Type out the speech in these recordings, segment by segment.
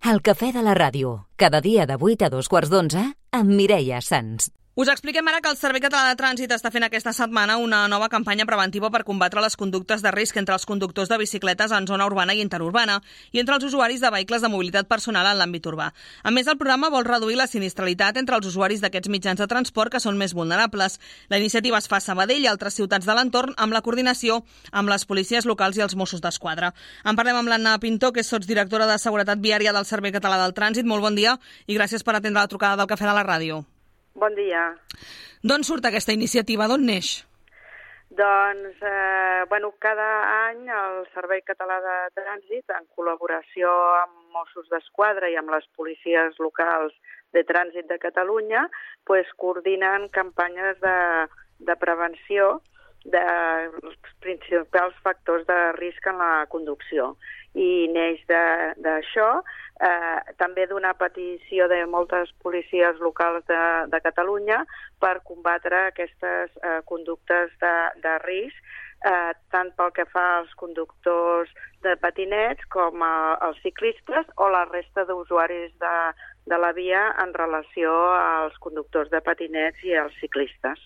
El cafè de la ràdio, cada dia de 8 a 2:15 amb Mireia Sans. Us expliquem ara que el Servei Català de Trànsit està fent aquesta setmana una nova campanya preventiva per combatre les conductes de risc entre els conductors de bicicletes en zona urbana i interurbana i entre els usuaris de vehicles de mobilitat personal en l'àmbit urbà. A més, el programa vol reduir la sinistralitat entre els usuaris d'aquests mitjans de transport que són més vulnerables. La iniciativa es fa a Sabadell i altres ciutats de l'entorn amb la coordinació amb les policies locals i els Mossos d'Esquadra. En parlem amb l'Anna Pintor, que és sotsdirectora de Seguretat Viària del Servei Català del Trànsit. Molt bon dia i gràcies per atendre la trucada del Cafè de la Ràdio. Bon dia. D'on surt aquesta iniciativa? D'on neix? Doncs, cada any el Servei Català de Trànsit, en col·laboració amb Mossos d'Esquadra i amb les policies locals de trànsit de Catalunya, coordinen campanyes de prevenció dels principals factors de risc en la conducció. I neix d'això, també d'una petició de moltes policies locals de Catalunya per combatre aquestes conductes de risc, tant pel que fa als conductors de patinets com als ciclistes o la resta d'usuaris de la via en relació als conductors de patinets i als ciclistes.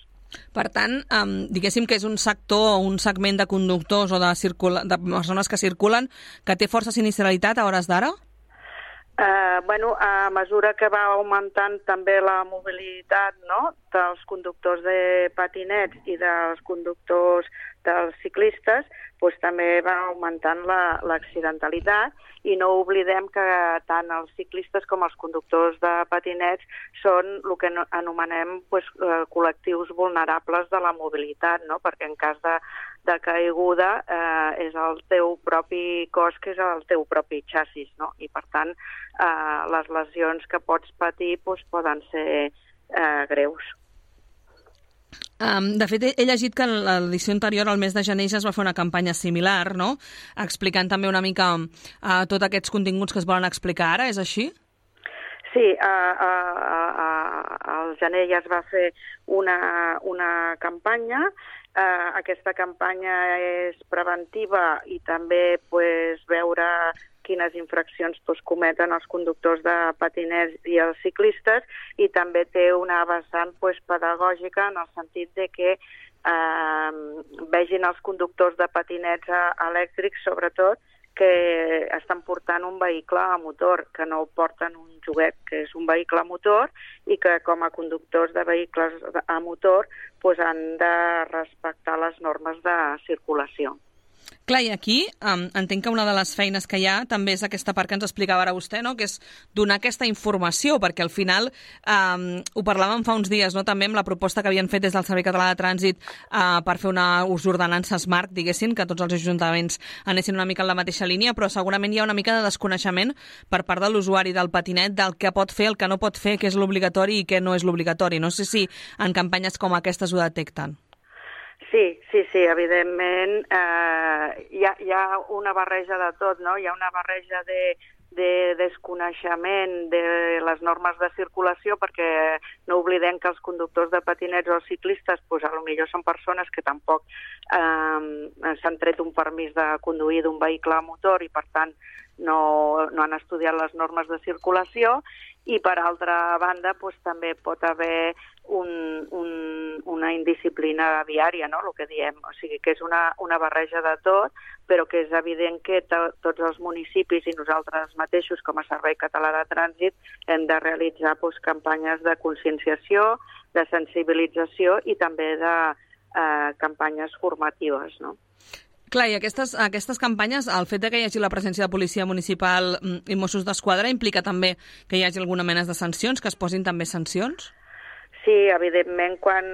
Per tant, diguéssim que és un sector o un segment de conductors o de persones que circulen que té força sinistralitat a hores d'ara? A mesura que va augmentant també la mobilitat, no?, dels conductors de patinets i dels conductors dels ciclistes, també va augmentant l'accidentalitat i no oblidem que tant els ciclistes com els conductors de patinets són el que anomenem col·lectius vulnerables de la mobilitat, no?, perquè en cas de caiguda és el teu propi cos que és el teu propi xassis, no? I per tant les lesions que pots patir poden ser greus. De fet, he llegit que en l'edició anterior, al mes de gener, ja es va fer una campanya similar, no?, explicant també una mica tots aquests continguts que es volen explicar ara, és així? Sí, al gener ja es va fer una campanya. Aquesta campanya és preventiva i també veure quines infraccions cometen els conductors de patinets i els ciclistes, i també té una vessant pedagògica en el sentit de que vegin els conductors de patinets elèctrics, sobretot, que estan portant un vehicle a motor, que no porten un joguet, que és un vehicle a motor, i que com a conductors de vehicles a motor han de respectar les normes de circulació. Clar, i aquí entenc que una de les feines que hi ha també és aquesta part que ens explicava ara vostè, no?, que és donar aquesta informació, perquè al final ho parlàvem fa uns dies, no?, també amb la proposta que havien fet des del Servei Català de Trànsit per fer una ordenança smart, diguéssim, que tots els ajuntaments anessin una mica en la mateixa línia, però segurament hi ha una mica de desconeixement per part de l'usuari del patinet del que pot fer, el que no pot fer, què és l'obligatori i què no és l'obligatori. No sé si en campanyes com aquestes ho detecten. Sí, evidentment hi ha una barreja de tot, no? Hi ha una barreja de desconeixement de les normes de circulació, perquè no oblidem que els conductors de patinets o els ciclistes potser són persones que tampoc s'han tret un permís de conduir d'un vehicle a motor i per tant no han estudiat les normes de circulació, i per altra banda també pot haver una indisciplina viària, no?, el que diem, o sigui que és una barreja de tot, però que és evident que tots els municipis i nosaltres mateixos com a Servei Català de Trànsit hem de realitzar campanyes de conscienciació, de sensibilització i també de campanyes formatives, no? Clar, i aquestes campanyes, el fet que hi hagi la presència de policia municipal i Mossos d'Esquadra implica també que hi hagi alguna mena de sancions, que es posin també sancions? Sí, evidentment, quan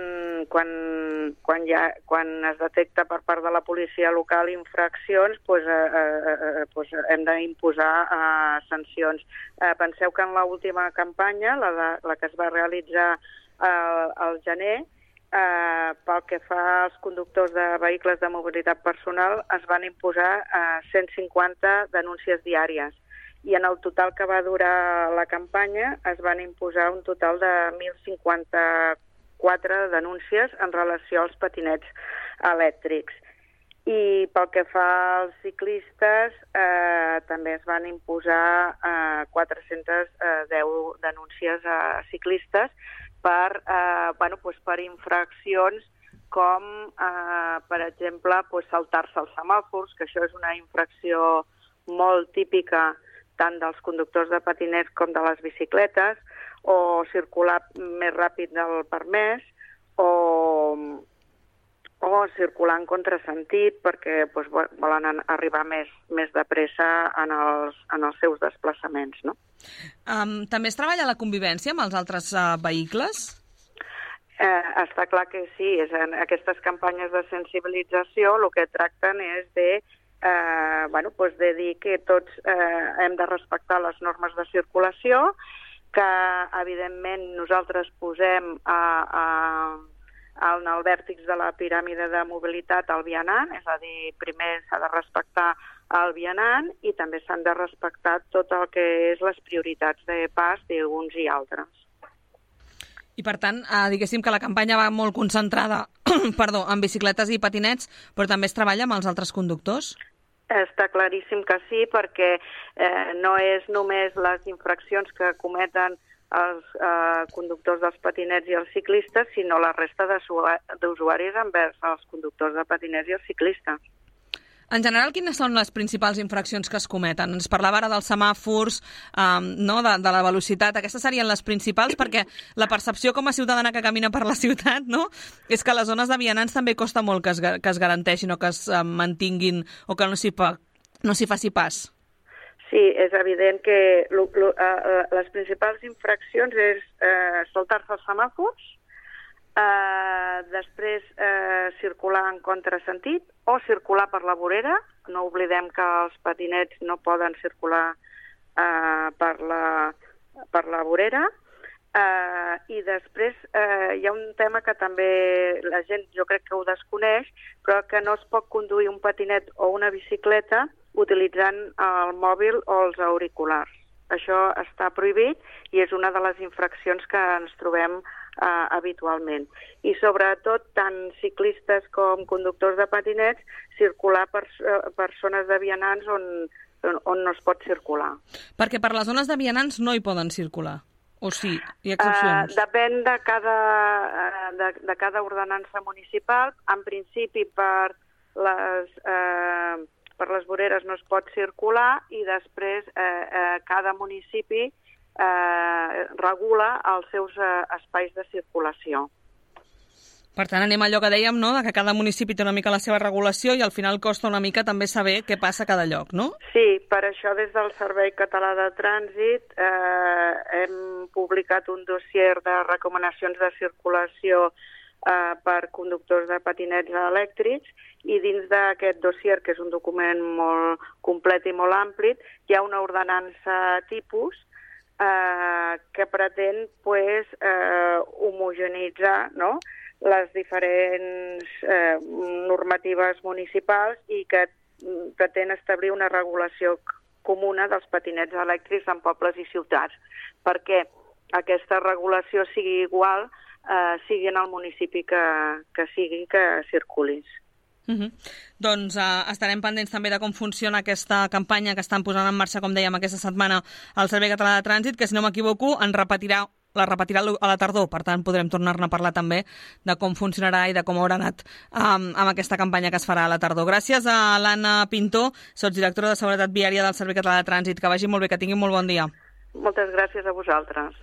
es detecta per part de la policia local infraccions, hem d'imposar sancions. Penseu que en l'última campanya, la que es va realitzar al gener, pel que fa als conductors de vehicles de mobilitat personal, es van imposar 150 denúncies diàries. I en el total que va durar la campanya es van imposar un total de 1.054 denúncies en relació als patinets elèctrics. I pel que fa als ciclistes, també es van imposar 410 denúncies a ciclistes per infraccions com, per exemple, saltar-se els semàfors, que això és una infracció molt típica tant dels conductors de patinets com de les bicicletes, o circular més ràpid del permès, o circular en contrasentit perquè volen arribar més de pressa en els seus desplaçaments. No? També es treballa la convivència amb els altres vehicles? Està clar que sí. Aquestes campanyes de sensibilització el que tracten és de dir que tots hem de respectar les normes de circulació, que evidentment nosaltres posem en el vèrtex de la piràmide de mobilitat el vianant, és a dir, primer s'ha de respectar el vianant i també s'han de respectar tot el que és les prioritats de pas d'uns i altres. I per tant, diguéssim que la campanya va molt concentrada en bicicletes i patinets, però també es treballa amb els altres conductors? Està claríssim que sí, perquè no és només les infraccions que cometen els conductors dels patinets i els ciclistes, sinó la resta d'usuaris envers els conductors de patinets i els ciclistes. En general, quines són les principals infraccions que es cometen? Ens parlava ara dels semàfors, de la velocitat. Aquestes serien les principals, perquè la percepció com a ciutadana que camina per la ciutat, no?, és que les zones de vianants també costa molt que es garanteixin o que es mantinguin o que no s'hi faci pas. Sí, és evident que les principals infraccions és saltar-se els semàfors, després circular en contrasentit o circular per la vorera. No oblidem que els patinets no poden circular per la vorera. I després hi ha un tema que també la gent jo crec que ho desconeix, però que no es pot conduir un patinet o una bicicleta utilitzant el mòbil o els auriculars. Això està prohibit i és una de les infraccions que ens trobem habitualment. I sobretot, tant ciclistes com conductors de patinets, circular per zones de vianants on no es pot circular. Perquè per les zones de vianants no hi poden circular? O sí? Hi ha excepcions? Depèn de cada ordenança municipal. En principi, per les voreres no es pot circular i després cada municipi regula els seus espais de circulació. Per tant, anem a allò que dèiem, no?, que cada municipi té una mica la seva regulació i al final costa una mica també saber què passa a cada lloc, no? Sí, per això des del Servei Català de Trànsit hem publicat un dossier de recomanacions de circulació per conductors de patinets elèctrics i dins d'aquest dossier, que és un document molt complet i molt ampli, hi ha una ordenança tipus que pretén homogeneïtzar, no?, les diferents normatives municipals i que pretén establir una regulació comuna dels patinets elèctrics en pobles i ciutats, perquè aquesta regulació sigui igual, sigui en el municipi que sigui que circulis. Doncs estarem pendents també de com funciona aquesta campanya que estan posant en marxa, com dèiem, aquesta setmana al Servei Català de Trànsit, que, si no m'equivoco, la repetirà a la tardor. Per tant, podrem tornar-ne a parlar també de com funcionarà i de com haurà anat amb aquesta campanya que es farà a la tardor. Gràcies a l'Anna Pintó, sotsdirectora de Seguretat Viària del Servei Català de Trànsit. Que vagi molt bé, que tingui molt bon dia. Moltes gràcies a vosaltres.